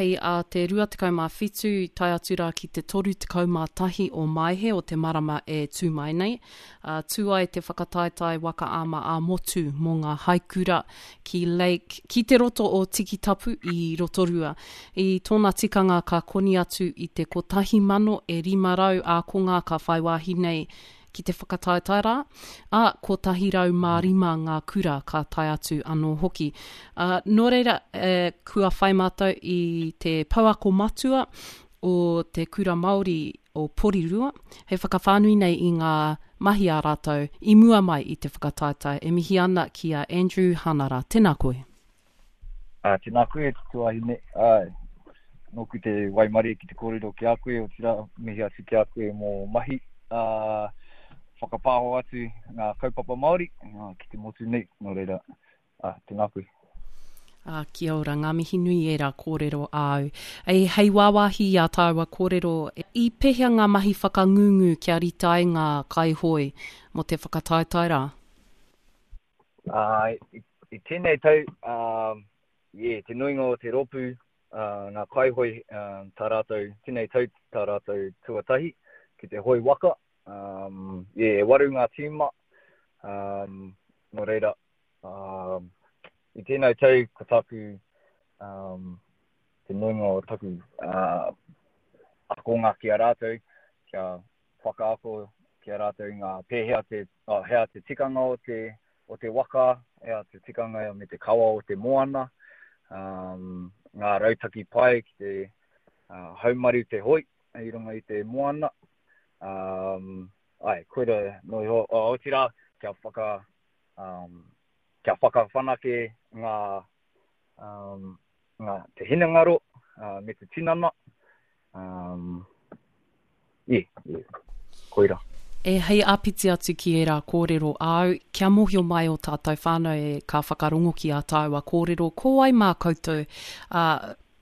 hei a te 27 tae atu rā ki te 31 o Maehe o te marama e tū mai nei, ā, tū ai te whakataetae waka ama ā-motu mō ngā haikura ki Lake, ki te roto o Tikitapu i Rotorua. I tōna tikanga ka koni atu i te 1,000 e 500 ākonga ka whai wāhi nei ki te whakataetae rā, ā, 105 ngā kura ka tae atu anō hoki. Ā, nō reira, e, kua whai mātou i te pouako matua o te Kura Māori o Porirua, hei whakawhānui nei i ngā mahi a rātou i mua mai i te whakataetae. E mihi ana ki a Andrew Hanara. Tēnā koe. Ā, tēnā koe e te tuahine, āe, nōku te waimarie ki te kōrero ki a koe, otirā, mihi atu ki a koe mō mahi, ā, whakapāho atu ngā kaupapa Māori ki te motu nei, nō reira, ā, tēnā koe. Ā, kia ora, ngā mihi nui ērā kōrero āu. Ei, hei wāwāhi i ā tāua kōrero, i pēhea ngā mahi whakangungu kia rite ai ngā kaihoe mō te whakataetae rā? Ā, i tēnei tau, ā, yeah, te nuinga o te rōpū, ā, ngā kaihoe, ā, tā rātou, tēnei tau tā rātou tuatahi ki te hoe waka. Ā, yeah, e waru ngā tīma, ā, nō reira, ā, i tēnei tau ko tāku, ā, te nuinga o taku, ā, akonga ki a rātou, kia whakaako ki a rātou ngā pēhea te, oh, hea te tikanga o te, o te waka, hea te tikanga me te kawa o te moana, um, ngā rautaki pai ki te uh, haumaru te hoi i runga i te moana. Um, ai, koira no iho, oh, otirā, kia whaka, um, kia whakawhanake ngā, um, ngā, te hinengaro uh, me te tinana. Um, yeah, yeah, koira. E hei āpiti atu ki ērā kōrero āu, kia mōhio mai ō tātou whānau e ka whakarongo ki ā tāua kōrero, ko wai mā koutou, ā,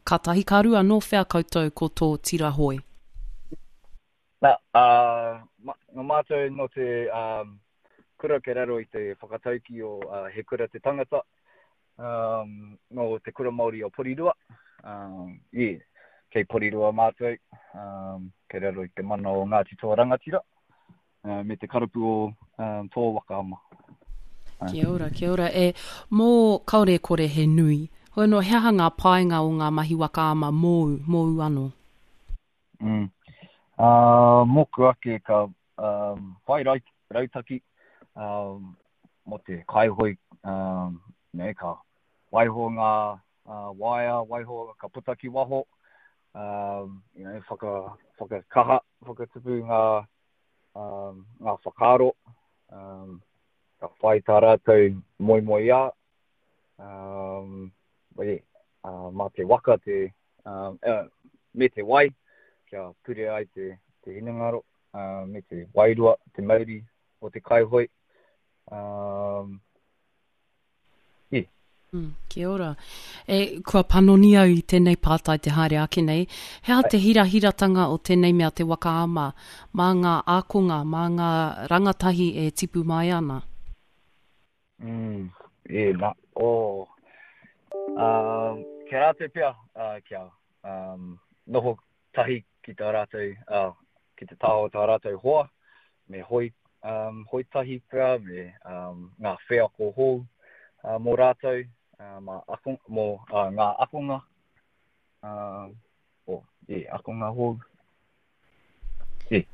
ka tahi ka rua nō whea koutou ko tō tira hoe? Nā, ā, nō mātou nō te kura kei raro i te whakataukī o He Kura Te Tangata, um, nō te Kura Māori o Porirua. Um, yeah, kei Porirua mātou, um, kei raro i te mana o Ngāti Toa Rangatira, uh, me te karapu o um, Toa Waka Ama. Kia ora, kia ora. E, mō kaore kore he nui. Hoi anō, he aha ngā painga o ngā mahi waka ama mōu, mōu anō? Mm. Uh, mōku ake ka um, whai rautaki um, mō te kaihoe, um, nei, ka waiho ngā uh, waea, waiho ka puta ki waho, um, you know, whaka, whakakaha, whakatupu ngā, um, ngā whakaaro, um, ka whai tā rātou moemoeā, um, but yeah, uh, mā te waka te, um, uh, me te wai, kia pure ai te, te hinengaro, uh, me te wairua, te mauri o te kaihoe. Um, yeah. Mm, kia ora. E, kua panoni au i tēnei pātai te haere ake nei. He aha te hirahiratanga o tēnei mea te waka ama mā ngā ākonga, mā ngā rangatahi e tipu mai ana? Mm, e, na, oh. Uh, kia rātou pea, uh, kia um, noho tahi ki tā rātou, uh, ki te taha o tā rātou hoa, me hoi, um, hoi tahi pea, me um, ngā wheako hou uh, mō rātou, uh, mā ako, mō uh, ngā akonga, uh, oh, yeah, akonga hou. Yeah.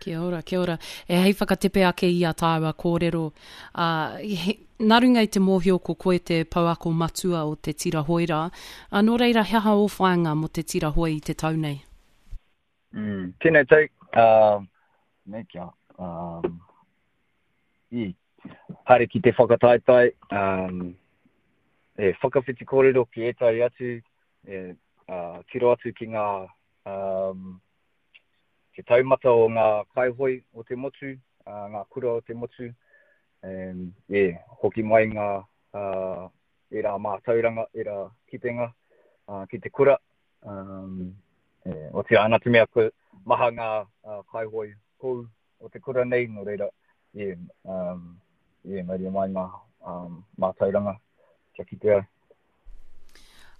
Kia ora, kia ora. E hei whakatepe ake i a tāua kōrero, uh, he, nā runga i te mōhio ko koe te pouako matua o te tira hoe rā, uh, nō reira he aha ō whāinga mō te tira hoe i te tau nei? Mm, tēnei tau, uh, me kia, um, i, haere ki te whakataetae, um, e whakawhiti kōrero ki ētahi atu, e, uh, tiro atu ki ngā um, te taumata o ngā kaihoe o te motu, uh, ngā kura o te motu, um, yeah, hoki mai ngā uh, ērā mātauranga, ērā kitenga uh, ki te kura. Um, e, otirā, nā te mea ko maha ngā uh, kaihoe hou o te kura nei, nō reira, yeah, um, yeah, mauria mai ngā um, mātauranga kia kite ai.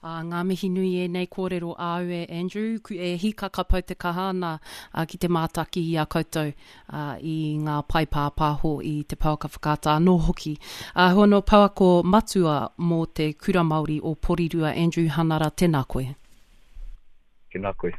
Ā, ngā mihi nui ēnei kōrero āu e Andrew, e hīkaka pau te kaha ana ki te mātaki i a koutou i ngā pae pāpāho i te pouaka whakaata anō hoki. Ā, hua nō pouako matua mō te Kura Māori o Porirua, Andrew Hanara, tēnā koe. Tēnā koe.